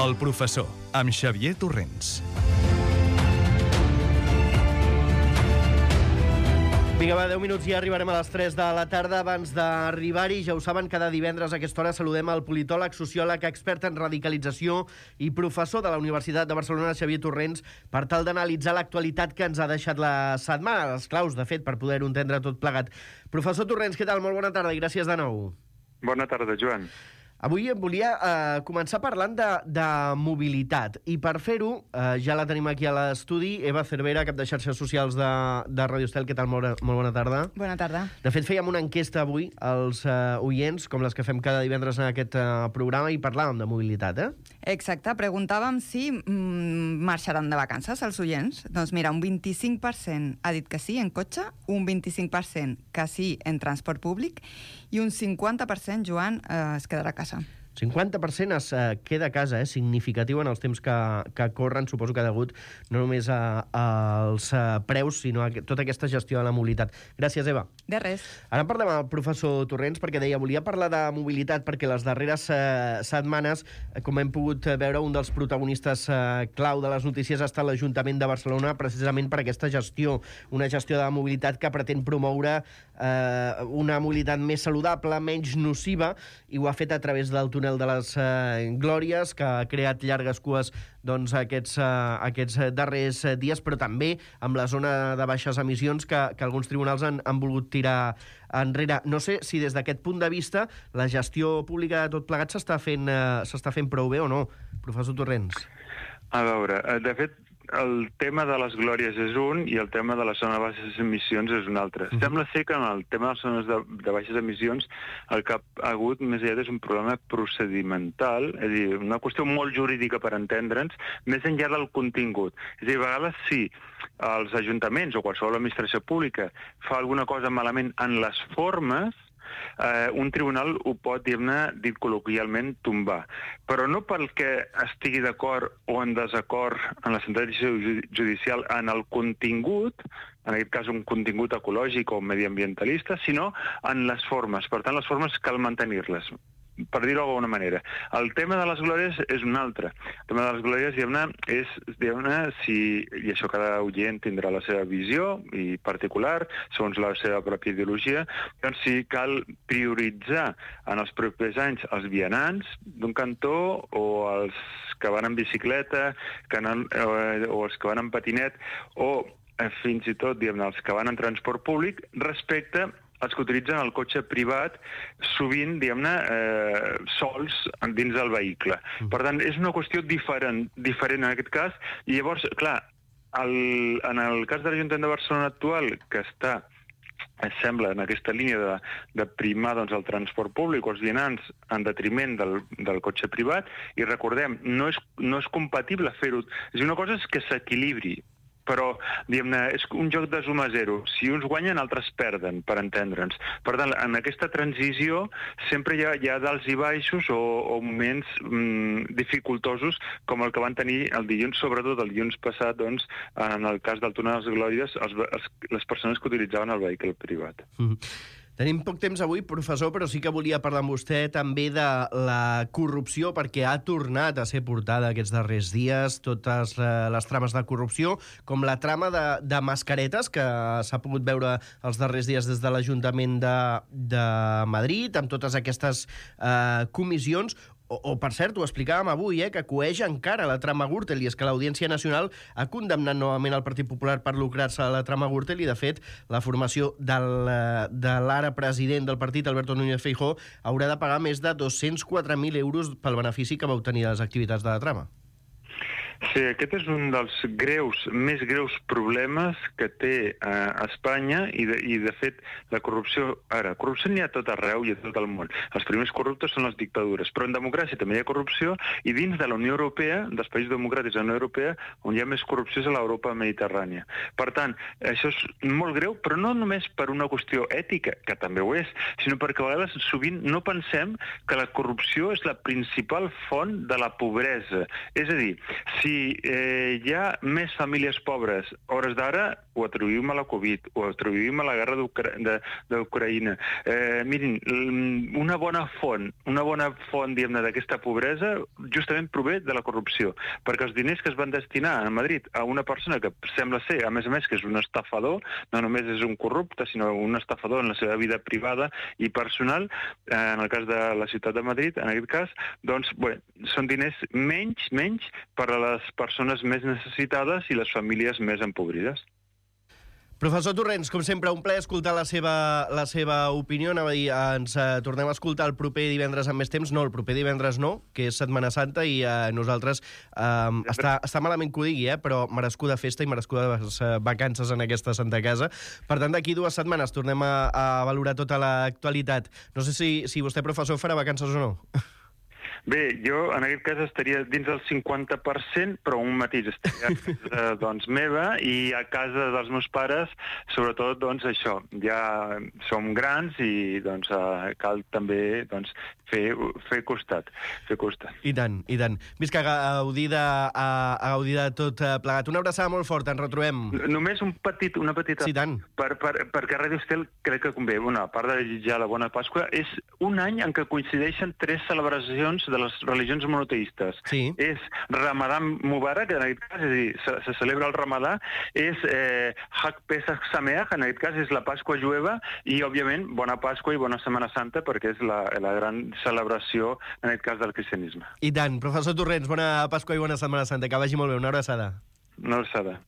El professor, amb Xavier Torrents. Vinga, va, 10 minuts i arribarem a les 3 de la tarda. Abans d'arribar-hi, ja ho saben, cada divendres a aquesta hora saludem el politòleg, sociòleg, expert en radicalització i professor de la Universitat de Barcelona, Xavier Torrents, per tal d'analitzar l'actualitat que ens ha deixat la setmana, les claus, de fet, per poder-ho entendre tot plegat. Professor Torrents, què tal? Molt bona tarda i gràcies de nou. Bona tarda, Joan. Avui em volia començar parlant de mobilitat, i per fer-ho ja la tenim aquí a l'estudi, Eva Cervera, cap de xarxes socials de Radio Estel. Què tal? Molt bona tarda. Bona tarda. De fet, fèiem una enquesta avui als oients, com les que fem cada divendres en aquest programa, i parlàvem de mobilitat, Exacte, preguntàvem si marxaran de vacances els oients. Doncs mira, un 25% ha dit que sí en cotxe, un 25% que sí en transport públic i un 50%, Joan, es quedarà a casa. 50% es queda a casa, significatiu en els temps que corren, suposo que degut no només als preus, sinó a tota aquesta gestió de la mobilitat. Gràcies, Eva. De res. Ara parlem amb el professor Torrents, perquè deia, volia parlar de mobilitat perquè les darreres setmanes, com hem pogut veure, un dels protagonistes clau de les notícies ha estat l'Ajuntament de Barcelona, precisament per aquesta gestió, una gestió de mobilitat que pretén promoure una mobilitat més saludable, menys nociva, i ho ha fet a través del túnel de les Glòries, que ha creat llargues cues aquests darrers dies, però també amb la zona de baixes emissions que alguns tribunals han volgut tirar enrere. No sé si des d'aquest punt de vista la gestió pública de tot plegat s'està fent prou bé o no, professor Torrents. A veure, de fet, el tema de les Glòries és un i el tema de la zona de baixes emissions és un altre. Sembla ser que en el tema de les zones de baixes emissions el que ha hagut més aviat és un problema procedimental, és a dir, una qüestió molt jurídica per entendre'ns, més enllà del contingut. És a dir, a vegades sí, els ajuntaments o qualsevol administració pública fa alguna cosa malament en les formes, un tribunal ho pot, dit col·loquialment, tombar. Però no perquè estigui d'acord o en desacord en la sentència judicial en el contingut, en aquest cas un contingut ecològic o mediambientalista, sinó en les formes. Per tant, les formes cal mantenir-les, per dir-ho d'alguna manera. El tema de les Glòries és un altre. El tema de les Glòries, i això cada oient tindrà la seva visió i particular, segons la seva pròpia ideologia, doncs si cal prioritzar en els propers anys els vianants d'un cantó o els que van en bicicleta o els que van en patinet o fins i tot els que van en transport públic respecte els que utilitzen el cotxe privat, sovint, sols dins del vehicle. Per tant, és una qüestió diferent en aquest cas, i llavors, clar, en el cas de l'Ajuntament de Barcelona actual, que està, sembla, en aquesta línia de primar el transport públic o els vianants en detriment del cotxe privat, i recordem, no és compatible fer-ho. Una cosa és que s'equilibri, però, és un joc de suma zero. Si uns guanyen, altres perden, per entendre'ns. Per tant, en aquesta transició sempre hi ha dals i baixos o moments dificultosos com el que van tenir el dilluns, sobretot el dilluns passat, en el cas del túnel de les Glòries, les persones que utilitzaven el vehicle privat. Tenim poc temps avui, professor, però sí que volia parlar amb vostè també de la corrupció, perquè ha tornat a ser portada aquests darrers dies totes les trames de corrupció, com la trama de mascaretes, que s'ha pogut veure els darrers dies des de l'Ajuntament de Madrid, amb totes aquestes comissions, o, per cert, ho explicàvem avui, que coeix encara la trama Gürtel, i és que l'Audiència Nacional ha condemnat novament el Partit Popular per lucrar-se a la trama Gürtel, i, de fet, la formació de l'ara president del partit, Alberto Núñez Feijóo, haurà de pagar més de 204.000 euros pel benefici que va obtenir de les activitats de la trama. Sí, aquest és un dels més greus problemes que té Espanya i de fet, la corrupció... Ara, corrupció n'hi ha tot arreu i a tot el món. Els primers corruptes són les dictadures, però en democràcia també hi ha corrupció i dins de la Unió Europea, dels països democràtics de la Unió Europea, on hi ha més corrupció és a l'Europa mediterrània. Per tant, això és molt greu, però no només per una qüestió ètica, que també ho és, sinó perquè a vegades sovint no pensem que la corrupció és la principal font de la pobresa. És a dir, si hi ha més famílies pobres a hores d'ara, ho atribuïm a la Covid, ho atribuïm a la guerra d'Ucraïna. Mirin, una bona font, diguem-ne, d'aquesta pobresa justament prové de la corrupció, perquè els diners que es van destinar a Madrid a una persona que sembla ser, a més que és un estafador, no només és un corrupte, sinó un estafador en la seva vida privada i personal, en el cas de la ciutat de Madrid, en aquest cas, doncs, bé, són diners menys per a les persones més necessitades i les famílies més empobrides. Professor Torrents, com sempre, un plaer escoltar la seva opinió. Anava a dir, ens tornem a escoltar el proper divendres amb més temps. No, el proper divendres no, que és Setmana Santa, i nosaltres... està malament que ho digui, però merescuda festa i merescudes vacances en aquesta Santa Casa. Per tant, d'aquí 2 setmanes tornem a valorar tota l'actualitat. No sé si vostè, professor, farà vacances o no. Bé, jo en aquest cas estaria dins del 50%, però un matís, estaria a casa doncs, meva i a casa dels meus pares, sobretot doncs, això, ja som grans i doncs, cal també doncs, fer costat. I tant. Visca, a gaudir de tot plegat. Una abraçada molt forta, ens retrobem. Només una petita... Sí, tant. Perquè Ràdio Estel crec que convé. A part de desitjar la bona Pasqua, és un any en què coincideixen 3 celebracions de les religions monoteistes. Sí. És Ramadan Mubarak, en aquest cas, és a dir, se celebra el Ramadà, és Hag Pesach Sameach, en aquest cas és la Pasqua jueva, i, òbviament, bona Pasqua i bona Setmana Santa, perquè és la gran celebració, en aquest cas, del cristianisme. I tant. Professor Torrents, bona Pasqua i bona Setmana Santa. Que vagi molt bé. Una abraçada. Una abraçada.